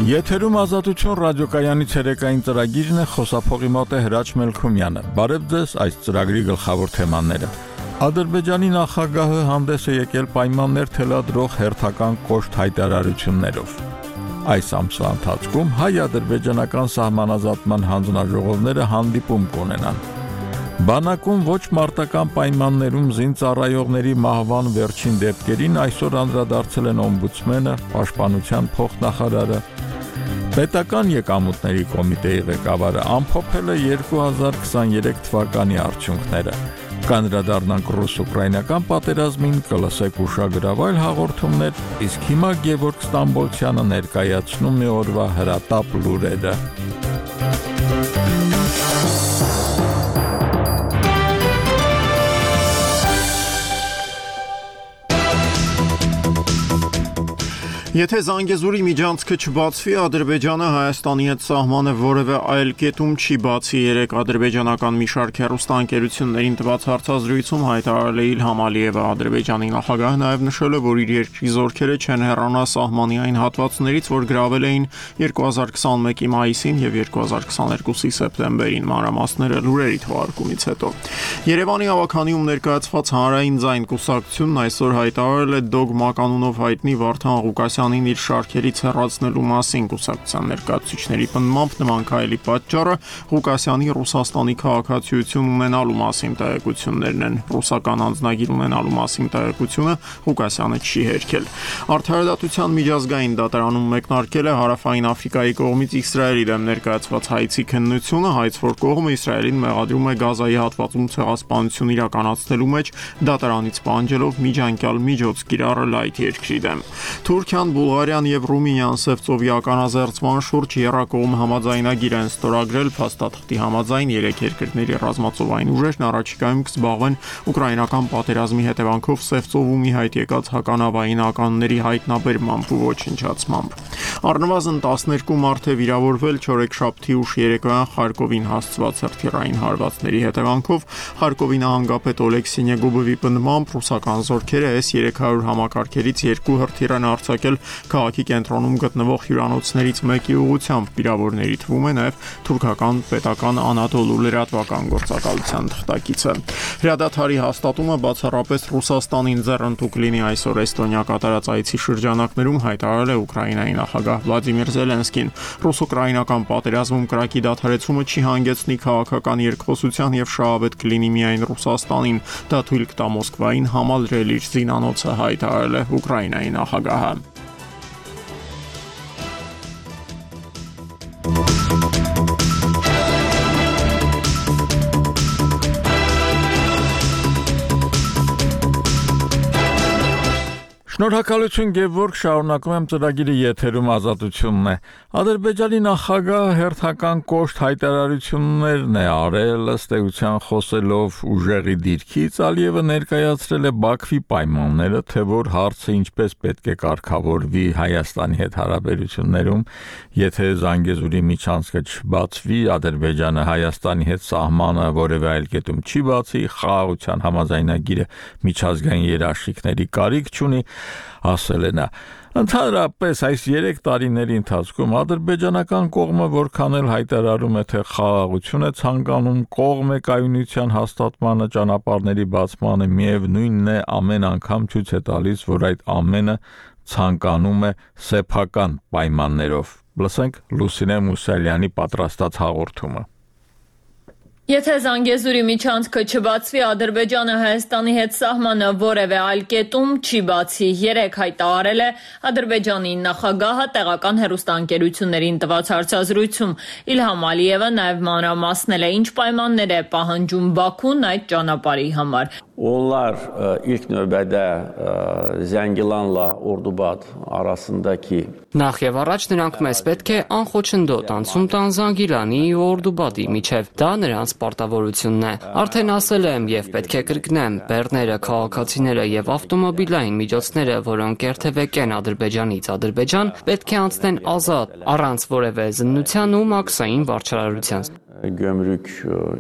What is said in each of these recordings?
Եթերում ազատություն ռադիոկայանի ցերեկային ծրագիրն է, խոսափողի մոտ է Հրաչ Մելքումյանը։ Բարև ձեզ, այս ծրագրի գլխավոր թեմաները։ Ադրբեջանի նախագահը հանդես է եկել պայմաններ թելադրող հերթական կոշտ հայտարարություններով։ Այս ամսվա ընթացքում հայ-ադրբեջանական սահմանազատման հանձնաժողովները հանդիպում կունենան։ Բանակում ոչ մարտական պայմաններում զինծառայողների մահվան վերջին դեպքերին այսօր անդրադարձել են օմբուդսմենը, պաշտպանության փոխնախարարը։ Պետական եկամուտների կոմիտեի ղեկավարը ամփոփել է 2023 թվականի արդյունքները։ Կանդրադառնանք ռուս-ուկրաինական պատերազմին, կլսեք ուշագրավայր հաղորդումներ, իսկ հիմա Գևորգ Ստամբոլցյանը ներկայացնում է օրվա հրատապ լուրերը։ Եթե Զանգեզուրի միջանցքը չբացվի, Ադրբեջանը Հայաստանի հետ սահմանը որևէ այլ կետում չի բացի։ Երեկ ադրբեջանական մի շարք հեռուստաընկերություններին տված հարցազրույցում հայտարարել է Իլհամ Ալիևը։ Ադրբեջանի նախագահը նաև նշել է, որ իր երկրի զորքերը չեն հեռանա սահմանի այն հատվածներից, որ գրավել էին 2021-ի մայիսին եւ 2022-ի սեպտեմբերին։ Մանրամասները լուրերի թողարկումից հետո։ Երևանի ավականիում ներկայացված հանրային ձայն կուսակցությունն այսօր հայտարարել է Դոգմա կանունով հայտնի Վարդան Ղուկասյանին իր շարքերից հեռացնելու մասին։ Կուսակցության ներկայացուցիչների պնդմամբ նման քայլի պատճառը Ղուկասյանի Ռուսաստանի քաղաքացիություն ունենալու մասին տեղեկություններն են։ Ռուսական անձնագիր ունենալու մասին տեղեկությունը Ղուկասյանը չի հերքել։ Արդարադատության միջազգային դատարանում մեկնարկել է Հարավային Աֆրիկայի կողմից Իսրայելի դեմ ներկայացված հայցի քննությունը, հայց որ կողմը Իսրայելին մեղադրում է Գազայի հատվածում ցեղասպանություն իրականացնելու մեջ դատարանից պահանջելով միջանկյալ միջոց կիրառել այդ երկրի դեմ։ Թուրքիան, Բուլղարիան եւ Ռումինիան Սևծովի ականազերծման շուրջ եռակողմ համաձայնագիր են ստորագրել։ Փաստաթղթի համաձայն երեք երկրների ռազմածովային ուժերն առաջիկայում կզբաղվեն ուկրաինական պատերազմի հետևանքով Սևծովում ի հայտ եկած հականավային ականների հայտնաբերմամբ ու ոչնչացմամբ։ Առնվազն 12 մարդ է վիրավորվել չորեքշաբթի ուշ երեկոյան Խարկովին հասցված հրթիռային հարվածների հետևանքով։ Խարկովի նահանգապետ Օլեքսի Նեգոբովի պնդմամբ ռուսական զորքերը S-300 համակարգերից 2 հրթիռ են արձակել քաղաքի կենտրոնում գտնվող հյուրանոցներից մեկի ուղղությամբ։ Վիրավորների թվում է նաև թուրքական պետական Անադոլու լրատվական գործակալության թղթակիցը։ Հրադադարի հաստատումը բացառապես Ռուսաստանին ձեռնտու կլինի այսօր Էստոնիա կատարած այցի շրջանակներում հայտարարել է Ուկրաինայի նախագահ Վլադիմիր Զելենսկին։ Ռուս-ուկրաինական պատերազմում կրակի դադարեցումը չի հանգեցնի քաղաքական երկխոսության եւ շահավետ կլինի միայն Ռուսաստանին։ Դա թույլ կտա Մոսկվային համալրել իր զինանոցը, հայտարարել է Ուկրաինայի նախագահը։ Շնորհակալություն Գևորգ, շարունակում եմ ծրագիրը եթերում ազատությունն է։ Ադրբեջանի նախագահը հերթական կոշտ հայտարարություններն է արել, ըստ էության խոսելով ուժեղի դիրքից, Ալիևը ներկայացրել է Բաքվի պայմանները, թե որ հարցը ինչպես պետք է կարգավորվի Հայաստանի հետ հարաբերություններում, եթե Զանգեզուրի միջանցքը չբացվի, Ադրբեջանը Հայաստանի հետ սահմանը որևէ այլ կետում չի բացի, խաղաղության համաձայնագիրը միջազգային երաշխիքների կարիք չունի, ասել է նա։ Ընդհանրապես այս 3 տարիների ընթացքում ադրբեջանական կողմը որքան էլ հայտարարում է, թե խաղաղություն է ցանկանում, կողմ է կայունության հաստատմանը, ճանապարհների բացմանը, միևնույնն է ամեն անգամ ցույց է տալիս, որ այդ ամենը ցանկանում է սեփական պայմաններով։ Լսենք Լուսինե Մուսալյանի պատրաստած հաղորդումը։ Եթե Զանգեզուրի միջանցքը չբացվի, Ադրբեջանը Հայաստանի հետ սահմանը որևէ այլ կետում չի բացի, երեկ հայտարարել է Ադրբեջանի նախագահը տեղական հեռուստաընկերություններին տված հարցազրույցում։ Իլհամ Ալիևը նաև մանրամասնել է, ինչ պայմաններ է պահանջում Բաքուն այդ ճանապարհի համար։ Onlar ilk növbədə Zəngilanla Ordubad arasındakı Նախ եւ առաջ նրանք մեզ պետք է անխոչնդոտ անցում տան Զանգիլանի ու Օրդուբադի միջև։ Դա նրանց պարտավորությունն է։ Արդեն ասել եմ եւ պետք է կրկնեմ, բեռները, քաղաքացիները եւ ավտոմոբիլային միջոցները, որոնք երթևեկեն Ադրբեջանից Ադրբեջան, պետք է անցնեն ազատ, առանց որևէ զննության ու մաքսային վարչարարության։ Gömrük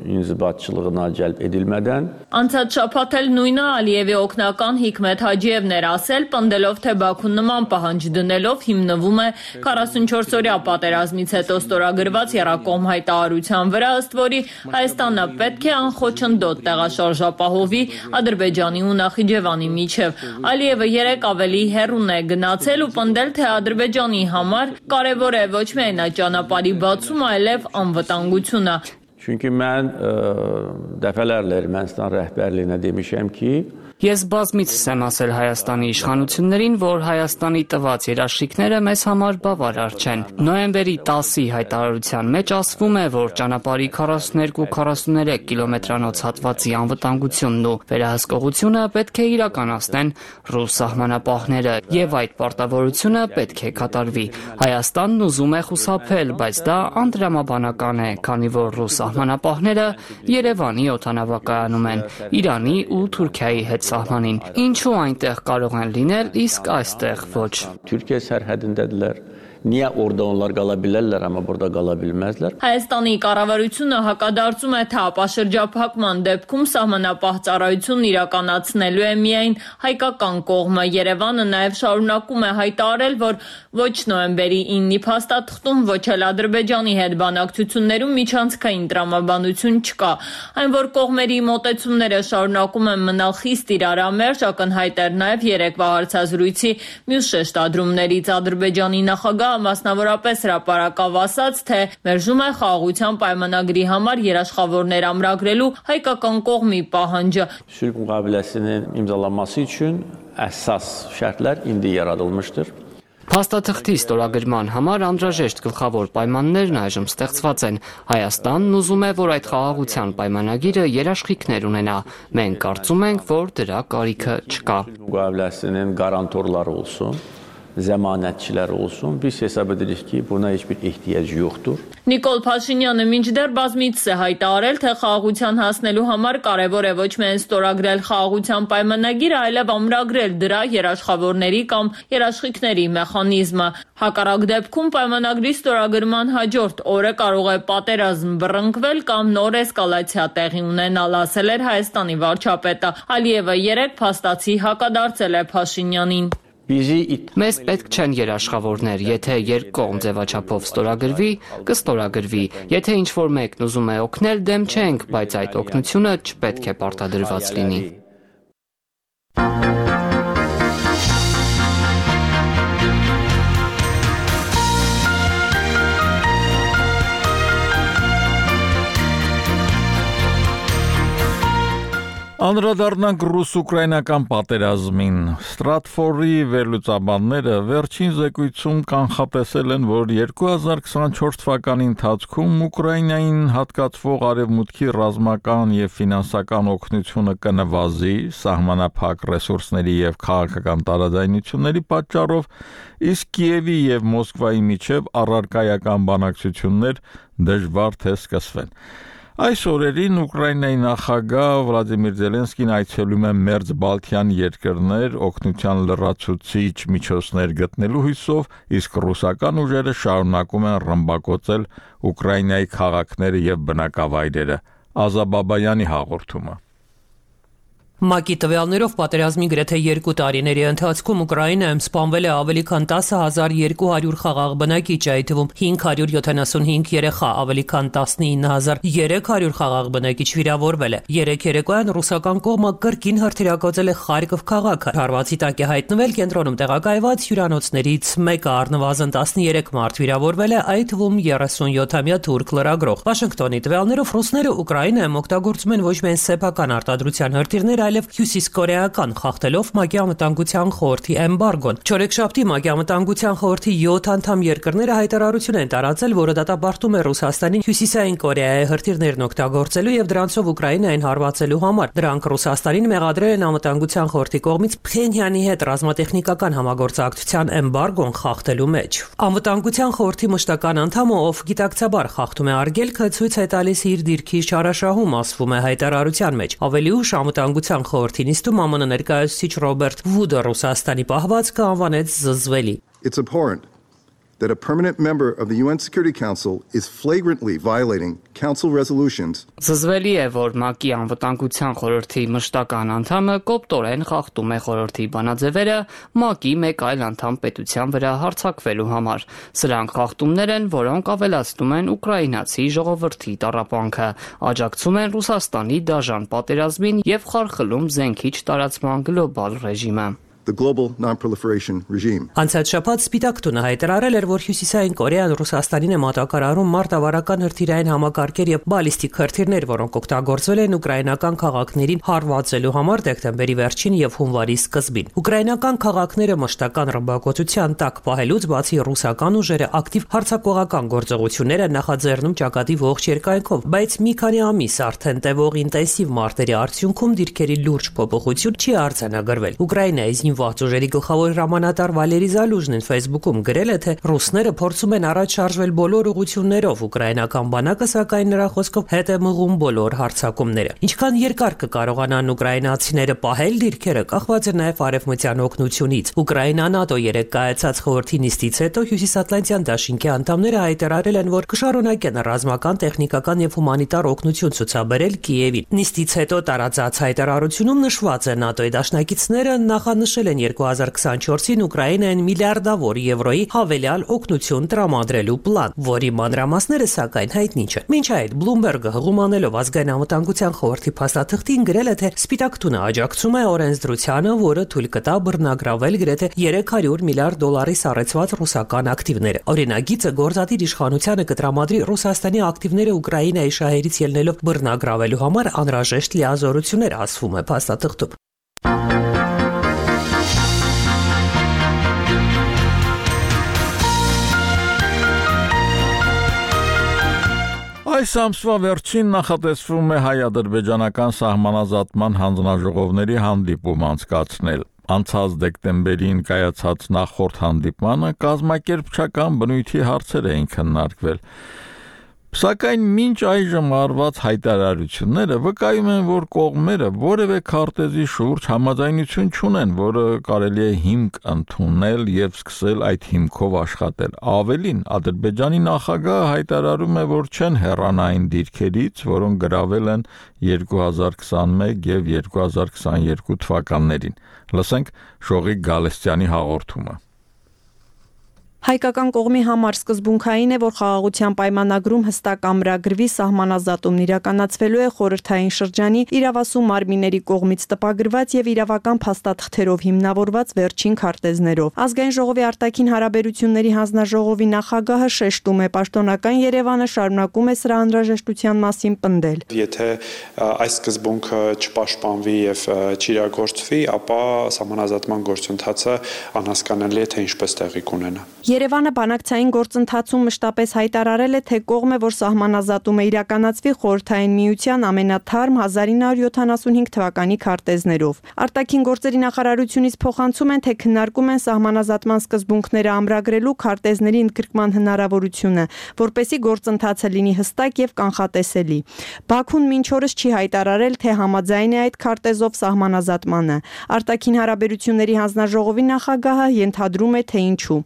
inzibatçılığına cəlb edilmədən Անցած շաբաթ էլ նույնը Ալիևի օգնական Հիկմետ Հաջիևն էր ասել, պնդելով, թե Բաքուն նման պահանջ դնելով հիմնվում է 44-օրյա պատերազմից հետո ստորագրված եռակողմ հայտարարության վրա, ըստ որի Հայաստանը պետք է անխոչնդոտ տեղաշարժապահովի Ադրբեջանի ու Նախիջևանի միջև։ Ալիևը երեք ավելի հեռուն է գնացել ու պնդել, թե Ադրբեջանի համար կարևոր է ոչ միայն այդ ճանապարհի բացումը, այլև անվտանգությունը։ Çünki mən dəfələrlə Ermənistan rəhbərliyinə demişəm ki, Ես բազմիցս եմ ասել Հայաստանի իշխանություններին, որ Հայաստանի տված երաշխիքները մեզ համար բավարար չեն։ Նոյեմբերի 10-ի հայտարարության մեջ ասվում է, որ ճանապարհի 42-43 կիլոմետրանոց հատվածի անվտանգությունն ու վերահսկողությունը պետք է իրականացնեն ռուս սահմանապահները, եւ այդ պարտավորությունը պետք է կատարվի։ Հայաստանն ուզում է խուսափել, բայց դա անդրամաբանական է, քանի որ ռուս սահմանապահները Երևանի օդանավակայանում են, Իրանի ու Թուրքիայի հետ սահմանին։ Ինչու այնտեղ կարող են լինել, իսկ այստեղ ոչ։ Türkiye sərhədindədirlər. Niyə orada onlar qala bilərlər, amma burada qala bilməzlər? Հայաստանի կառավարությունը հակադարձում է, թե ապաշրջափակման դեպքում սահմանապահ ծառայությունն իրականացնելու է միայն հայկական կողմը։ Երևանը նաև շարունակում է հայտարարել, որ ոչ նոյեմբերի 9-ի փաստաթղթում, ոչ էլ Ադրբեջանի հետ բանակցություններում միջանցքային տրամաբանություն չկա։ Այն, որ կողմերի մոտեցումները շարունակում են մնալ խիստ իրարամերժ, ակնհայտ էր նաև երեկվա հարցազրույցի մյուս շեշտադրումներից Ադրբեջանի նախագահ մասնավորապես հրապարակավ ասաց, թե մերժում է խաղաղության պայմանագրի համար երաշխավորներ ամրագրելու հայկական կողմի պահանջը։ Sülh müqaviləsinin imzalanması üçün əsas şərtlər indi yaradılmışdır. Փաստաթղթի ստորագրման համար անհրաժեշտ գլխավոր պայմաններն այժմ ստեղծված են։ Հայաստանն ուզում է, որ այդ խաղաղության պայմանագիրը երաշխիքներ ունենա։ Մենք կարծում ենք, որ դրա կարիքը չկա։ Müqaviləsinin qarantorları olsun, zəmanətçilər olsun. Biz hesab edirik ki, buna heç bir ehtiyac yoxdur. Նիկոլ Փաշինյանը մինչդեռ բազմիցս է հայտարարել, թե խաղաղության հասնելու համար կարևոր է ոչ միայն ստորագրել խաղաղության պայմանագիրը, այլև ամրագրել դրա երաշխավորների կամ երաշխիքների մեխանիզմը։ Հակառակ դեպքում պայմանագրի ստորագրման հաջորդ օրը կարող է պատերազմ բռնկվել կամ նոր էսկալացիա տեղի ունենալ, ասել էր Հայաստանի վարչապետը։ Ալիևը երեք փաստացի հակադարձել է Փաշինյանին։ Մեզ պետք չեն երաշխավորներ, եթե երկկողմ ձևաչափով ստորագրվի, կստորագրվի։ Եթե ինչ-որ մեկն ուզում է օգնել, դեմ չենք, բայց այդ օգնությունը չպետք է պարտադրված լինի։ Անդրադառնանք ռուս-ուկրաինական պատերազմին։ Ստրատֆորի վերլուծաբանները վերջին զեկույցում կանխատեսել են, որ 2024 թվականի ընթացքում Ուկրաինային հատկացվող արևմուտքի ռազմական եւ ֆինանսական օգնությունը կնվազի սահմանափակ ռեսուրսների եւ քաղաքական տարաձայնությունների պատճառով, իսկ Կիևի եւ Մոսկվայի միջև առարկայական բանակցություններ դժվար թե սկսվեն։ Այս օրերին Ուկրաինայի նախագահ Վլադիմիր Զելենսկին այցելում է մերձ Բալթյան երկրներ օգնության լրացուցիչ միջոցներ գտնելու հույսով, իսկ ռուսական ուժերը շարունակում են ռմբակոծել Ուկրաինայի քաղաքները եւ բնակավայրերը։ Ազաբաբայանի հաղորդումը։ ՄԱԿ-ի տվյալներով պատերազմի գրեթե 2 տարիների ընթացքում Ուկրաինայում սպանվել է ավելի քան 10,200 խաղաղ բնակիչ, այդ թվում 575 երեխա, ավելի քան 19,300 խաղաղ բնակիչ վիրավորվել է։ Երեք երեկոյան ռուսական կողմը կրկին հրթիռակոծել է Խարկով քաղաքը։ Հարվածի տակ է հայտնվել կենտրոնում տեղակայված հյուրանոցներից մեկը, առնվազն 13 մարդ վիրավորվել է, այդ թվում 37-ամյա թուրք լրագրող։ Վաշինգտոնի տվյալներով ռուսները Ուկրաինայում օգտագործում են ոչ միայն սեփական արտադրության հրթիռներ, այլև հյուսիսկորեական, խախտելով ՄԱԿ-ի անվտանգության խորհրդի էմբարգոն։ Չորեքշաբթի ՄԱԿ-ի անվտանգության խորհրդի 7 անդամ երկրները հայտարարություն են տարածել, որը դատապարտում է Ռուսաստանին Հյուսիսային Կորեայի հրթիռներն օգտագործելու եւ դրանցով Ուկրաինային հարվածելու համար։ Դրանք Ռուսաստանին մեղադրել են անվտանգության խորհրդի կողմից Փխենյանի հետ ռազմատեխնիկական համագործակցության էմբարգոն խախտելու մեջ։ Անվտանգության խորհրդի մշտական անդամը, ով գիտակցաբար խախտում է արգելքը, ցույց է տալիս իր դիրքի չարաշահում, ասվում է հայտարարության մեջ։ Ավելի ուշ անվտանգության խորհրդի նիստում ԱՄՆ ներկայացուցիչ Ռոբերտ Վուդը Ռուսաստանի պահվածքը անվանեց զզվելի։ It's abhorrent that a permanent member of the UN Security Council is flagrantly violating council resolutions. Զզվելի է, որ ՄԱԿ-ի անվտանգության խորհրդի մշտական անդամը կոպտորեն խախտում է խորհրդի բանաձևերը ՄԱԿ-ի մեկ այլ անդամ պետության վրա հարձակվելու համար։ Սրանք խախտումներ են, որոնք ավելացնում են ուկրաինացի ժողովրդի տառապանքը, աջակցում են Ռուսաստանի դաժան պատերազմին եւ խարխլում զենքի տարածման գլոբալ ռեժիմը։ The global non-proliferation regime. Անցած շաբաթ Սպիտակ տունը հայտարարել էր, որ Հյուսիսային Կորեան Ռուսաստանին է մատակարարում մարտավարական հրթիռային համակարգեր եւ բալիստիկ հրթիռներ, որոնք օգտագործվել են ուկրաինական քաղաքներին հարվածելու համար դեկտեմբերի վերջին եւ հունվարի սկզբին։ Ուկրաինական քաղաքները մշտական ռմբակոծության տակ պահելուց բացի ռուսական ուժերը ակտիվ հարձակողական գործողություններ են նախաձեռնում ճակատի ողջ երկայնքով, բայց մի քանի ամիս արդեն տևող ինտենսիվ մարտերի արդյունքում դիրքերի լուրջ փոփոխություն չի արձանագրվել։ Ուկրաինայի Ուժերի գլխավոր հրամանատար Վալերի Զալուժնին Facebook-ում գրել է, թե ռուսները փորձում են առաջ շարժվել բոլոր ուղղություններով, ուկրաինական բանակը սակայն նրա խոսքով հետ է մղում բոլոր հարձակումները։ Ինչքան երկար կկարողանան ուկրաինացիները պահել դիրքերը, կախված է նաև արևմտյան օգնությունից։ Ուկրաինան ՆԱՏՕ երեք կայացած խորհրդի նիստից հետո Հյուսիսատլանտյան դաշինքի անդամները հայտարարել են, որ կշարունակեն ռազմական, տեխնիկական եւ հումանիտար օգնություն ցուցաբերել Կիևին։ Նիստից հետո տարածած հայտարարությունում նշված է ՆԱՏՕ-ի դաշնակիցները նախանշել են 2024-ին Ուկրաինային միլիարդավոր եվրոյի հավելյալ օգնություն տրամադրելու պլան, որի մանրամասները սակայն հայտնի չեն։ Մինչ այդ Bloomberg-ը հղումանելով ազգային անվտանգության խորհրդի փաստաթղթին գրել է, թե Սպիտակ տունը աջակցում է օրենսդրությանը, որը թույլ կտա բռնագրավել գրեթե $300 միլիարդ սառեցված ռուսական ակտիվները։ Օրինագիծը գործադիր իշխանությանը կտրամադրի Ռուսաստանի ակտիվները Ուկրաինայի շահերից ելնելով բռնագրավելու համար անհրաժեշտ լիազորություններ, ասվում է փաստաթղթում։ Այս ամսվա վերջին նախատեսվում է հայ-ադրբեջանական սահմանազատման հանձնաժողովների հանդիպում անցկացնել։ Անցած դեկտեմբերին կայացած նախորդ հանդիպմանը կազմակերպչական բնույթի հարցեր էին քննարկվել։ Սակայն մինչ այժմ արված հայտարարությունները վկայում են, որ կողմերը որևէ քարտեզի շուրջ համաձայնություն չունեն, որը կարելի է հիմք ընդունել եւ սկսել այդ հիմքով աշխատել։ Ավելին, Ադրբեջանի նախագահը հայտարարում է, որ չեն հեռանա այն դիրքերից, որոնք գրավել են 2021 եւ 2022 թվականներին։ Լսենք Շողիկ Գալստյանի հաղորդումը։ Հայկական կողմի համար սկզբունքային է, որ խաղաղության պայմանագրում հստակ ամրագրվի սահմանազատումն իրականացվելու է խորհրդային շրջանի իրավասու մարմինների կողմից տպագրված եւ իրավական փաստաթղթերով հիմնավորված վերջին քարտեզներով։ Ազգային ժողովի արտաքին հարաբերությունների հանձնաժողովի նախագահը շեշտում է, պաշտոնական Երևանը շարունակում է սրա անհրաժեշտության մասին պնդել։ Եթե այս սկզբունքը չպաշտպանվի եւ չիրագործվի, ապա սահմանազատման գործընթացը անհասկանալի է, թե ինչպես տեղի կունենա։ Երևանը բանակցային գործընթացում մշտապես հայտարարել է, թե կողմ է, որ սահմանազատումը իրականացվի խորհրդային միության ամենաթարմ 1975 թվականի քարտեզներով։ Արտաքին գործերի նախարարությունից փոխանցում են, թե քննարկում են սահմանազատման սկզբունքները ամրագրելու քարտեզների ընդգրկման հնարավորությունը, որպեսզի գործընթացը լինի հստակ եւ կանխատեսելի։ Բաքուն մինչ օրս չի հայտարարել, թե համաձայն է այդ քարտեզով սահմանազատմանը։ Արտաքին հարաբերությունների հանձնաժողովի նախագահը ենթադրում է, թե ինչու։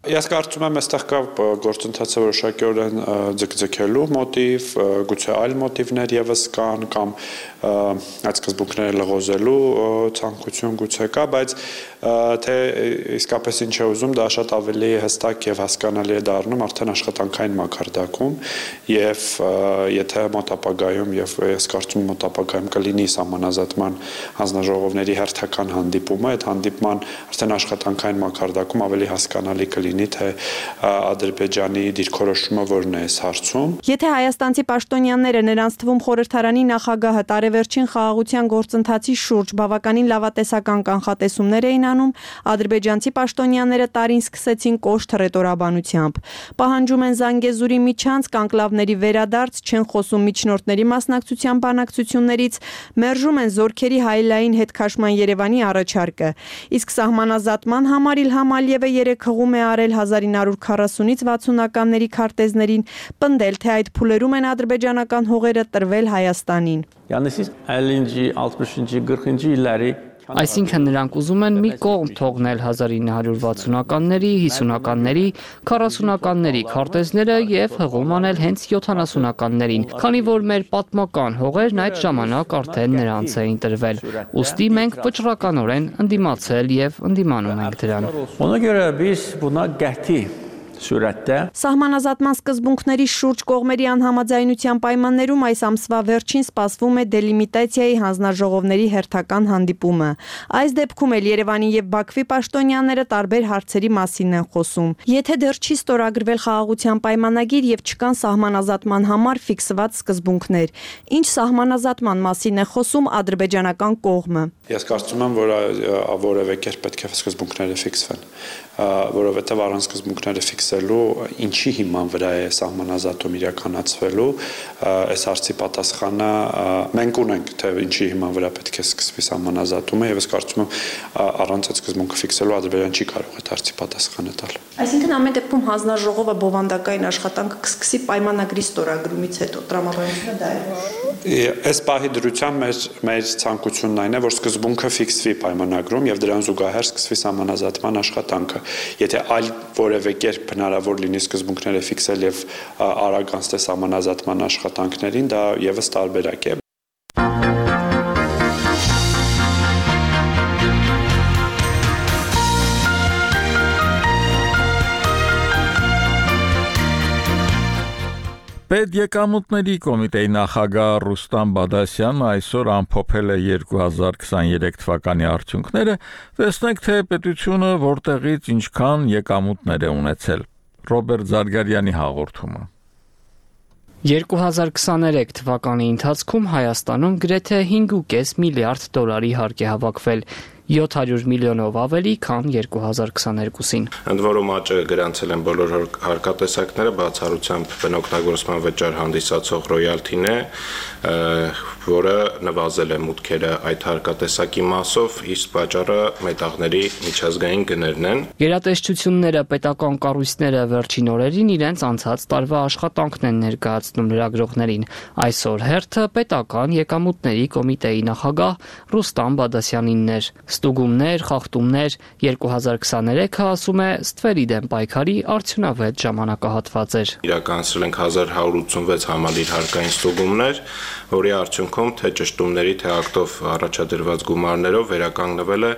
Կարծում եմ, այստեղ կա գործընթացը որոշակիորեն ձգձգելու մոտիվ, գուցե այլ մոտիվներ եւս կան կամ այդ սկզբունքները լղոզելու ցանկություն գուցե կա, բայց թե իսկապես ինչ է ուզում, դա շատ ավելի հստակ եւ հասկանալի է դառնում արդեն աշխատանքային մակարդակում եւ եթե մոտապագայում եւ ես կարծում եմ մոտապագայում կլինի սահմանազատման հանձնաժողովների հերթական հանդիպումը, այդ հանդիպման արդեն աշխատանքային մակարդակում ավելի հասկանալի կլինի, թե Ադրբեջանի դիրքորոշումը որն է այս հարցում։ Եթե հայաստանցի պաշտոնյաները նրանց թվում խորհրդարանի նախագահը տարեվերջին խաղաղության գործընթացի շուրջ բավականին լավատեսական կանխատեսումներ էին անում, ադրբեջանցի պաշտոնյաները տարին սկսեցին կոշտ հռետորաբանությամբ։ Պահանջում են Զանգեզուրի միջանցք, անկլավների վերադարձ, չեն խոսում միջնորդների մասնակցության բանակցություններից, մերժում են զորքերի հայլային հետքաշման Երևանի առաջարկը։ Իսկ սահմանազատման համար Իլհամ Ալիևը երեք հղում է արել 1940-ից 60-ականների քարտեզներին, պնդել, թե այդ փուլերում են ադրբեջանական հողերը տրվել Հայաստանին։ Yəni siz 50-ci, 60-cı, 40-cı illəri Այսինքն նրանք ուզում են մի կողմ թողնել 1960-ականների, 50-ականների, 40-ականների քարտեզները եւ հղում անել հենց 70-ականներին, քանի որ մեր պատմական հողերն այդ ժամանակ արդեն նրանց էին տրվել։ Ուստի մենք վճռականորեն ընդդիմացել եւ ընդդիմանում ենք դրան։ Ona görə biz buna qəti surətdə Սահմանազատման սկզբունքների շուրջ կողմերի անհամաձայնության պայմաններում այս ամսվա վերջին սպասվում է դելիմիտացիայի հանձնաժողովների հերթական հանդիպումը։ Այս դեպքում էլ Երևանի եւ Բաքվի պաշտոնյաները տարբեր հարցերի մասին են խոսում։ Եթե դեռ չի ստորագրվել խաղաղության պայմանագիր եւ չկան սահմանազատման համար ֆիքսված սկզբունքներ, ինչ սահմանազատման մասին է խոսում ադրբեջանական կողմը։ Ես կարծում եմ, որ որևէ կերպ պետք է սկզբունքները ֆիքսվեն, որովհետև առանց սկզբունքները ֆիքսելու ինչի հիման վրա է սահմանազատում իրականացվելու, այս հարցի պատասխանը մենք ունենք, թե ինչի հիման վրա պետք է սկսվի սահմանազատումը, եւ ես կարծում եմ առանց այդ սկզբունքը ֆիքսելու Ադրբեջանը չի կարող այդ հարցի պատասխանը տալ։ Այսինքն ամեն դեպքում հանձնաժողովը բովանդակային աշխատանքը կսկսի պայմանագրի ստորագրումից հետո տրամաբանությունը դա է։ Այս պահի դրությամբ մեր ցանկությունն այն է, որ սկզբունքը ֆիքսվի պայմանագրում եւ դրան զուգահեռ սկսվի սահմանազատման աշխատանքը։ Եթե այլ որևէ կերպ հնարավոր լինի սկզբունքները ֆիքսել եւ արագ անցնել սահմանազատման աշխատանքներին, դա եւս տարբերակ է։ Պետեկամուտների կոմիտեի նախագահ Ռուստամ Բադասյանը այսօր ամփոփել է 2023 թվականի արդյունքները, տեսնենք թե պետությունը որտեղից ինչքան եկամուտներ է ունեցել։ Ռոբերտ Զարգարյանի հաղորդումը։ 2023 թվականի ընթացքում Հայաստանում գրեթե 5.5 միլիարդ դոլարի հարկ է հավաքվել, 700 միլիոնով ավելի, քան 2022-ին։ Ընդ որում աճը գրանցել են բոլոր հարկատեսակները, բացառությամբ բնօգտագործման վճար հանդիսացող ռոյալթին է, որը նվազել է մուտքերը այդ հարկատեսակի մասով, իսկ պատճառը մետաղների միջազգային գներն են։ Գերատեսչությունները, պետական կառույցները վերջին օրերին իրենց անցած տարվա աշխատանքն են ներկայացնում լրագրողներին։ Այսօր հերթը պետական եկամուտների կոմիտեի նախագահ Ռուստամ Բադասյանինն էր։ Ստուգումներ, խախտումներ 2023-ը ասում է ստվերի դեմ պայքարի արդյունավետ ժամանակահատված էր։ Իրականացրել ենք 1186 համալիր հարկային ստուգումներ, որի արդյունքում թե ճշտումների, թե ակտով առաջադրված գումարներով վերականգնվել է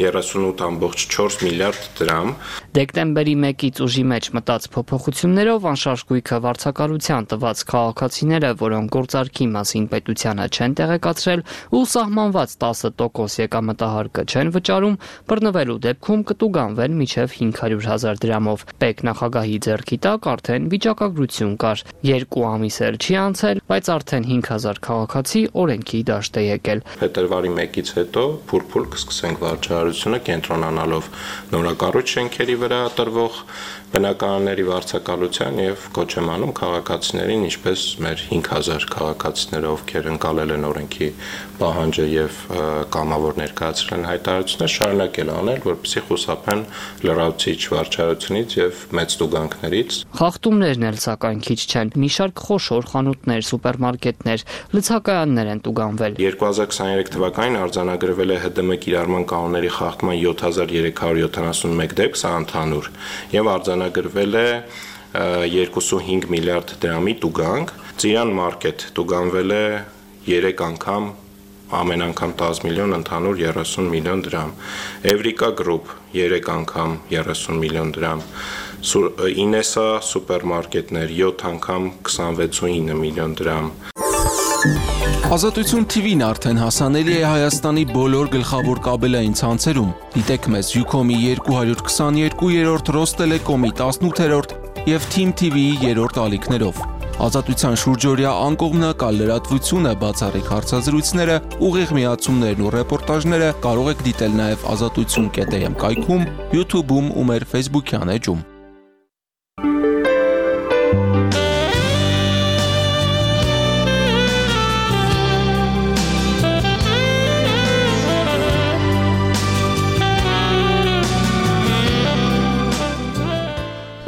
38.4 միլիարդ դրամ։ Դեկտեմբերի 1-ից ուժի մեջ մտած փոփոխություններով անշարժ գույքը վարձակալության տված քաղաքացիները, որոնք գործարքի մասին պետությանը չեն տեղեկացրել ու սահմանված 10% եկամտահարկը չեն վճարում, բռնվելու դեպքում կտուգանվեն մինչև 500,000 դրամով։ Պետ նախագահի ձեռքի տակ արդեն վիճակագրություն կար։ 2 ամիս էլ չի անցել, բայց արդեն 5000 քաղաքացի օրենքի դաշտ է եկել։ Փետրվարի 1-ից հետո փուր-փուր կսկսենք վարչարությունը կենտրոնանալով նորակառույց շենքերի վրա տրվող բնակարանների վարձակալության եւ կոչ եմ անում քաղաքացիներին, ինչպես մեր 5000 քաղաքացիները, ովքեր ընկալել են օրենքի պահանջը եւ կամավոր ներկայացրել են հայտարարություններ, շարունակել անել, որպեսզի խուսափեն լրացուցիչ վարչարությունից եւ մեծ տուգանքներից։ Խախտումներն էլ սակայն քիչ չեն։ Մի շարք խոշոր խանութներ, սուպերմարկետներ, լցակայաններ են տուգանվել։ 2023 թվականին արձանագրվել է ՀԴՄ կիրառման կանոնների խախտման 7371 դեպք, սա ընդհանուր, եւ արձանագրվել է 2.5 միլիարդ դրամի տուգանք։ Ծիրան մարքեթ տուգանվել է 3 անգամ, ամեն անգամ 10 միլիոն, ընդհանուր 30 միլիոն դրամ։ Էվրիկա գրուպ 3 անգամ 30 միլիոն դրամ։ Ինեսա սուպերմարկետներ 7 անգամ 26.9 միլիոն դրամ։ Ազատություն TV-ն արդեն հասանելի է Հայաստանի բոլոր գլխավոր կաբելային ցանցերում։ Դիտեք մեզ Ucom-ի 222-րդ, Ռոստելեկոմի 18-րդ եւ Team TV-ի 3-րդ ալիքներով։ Ազատության շուրջօրյա անկողմնակալ լրատվությունը, բացառիկ հարցազրույցները, ուղիղ միացումներն ու ռեպորտաժները կարող եք դիտել նաև azatutsun.am կայքում, YouTube-ում ու մեր Facebook-յան էջում։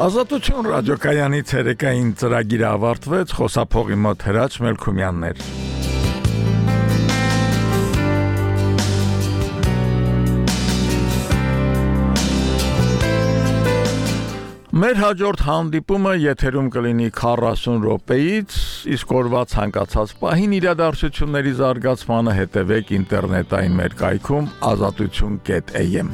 Ազատություն ռադիոկայանի ցերեկային ծրագիրը ավարտվեց, խոսափողի մոտ Հրաչ Մելքումյանն էր։ Մեր հաջորդ հանդիպումը եթերում կլինի 40 րոպեից, իսկ օրվա ցանկացած պահին իրադարձությունների զարգացմանը հետևեք ինտերնետային մեր կայքում azatutun.am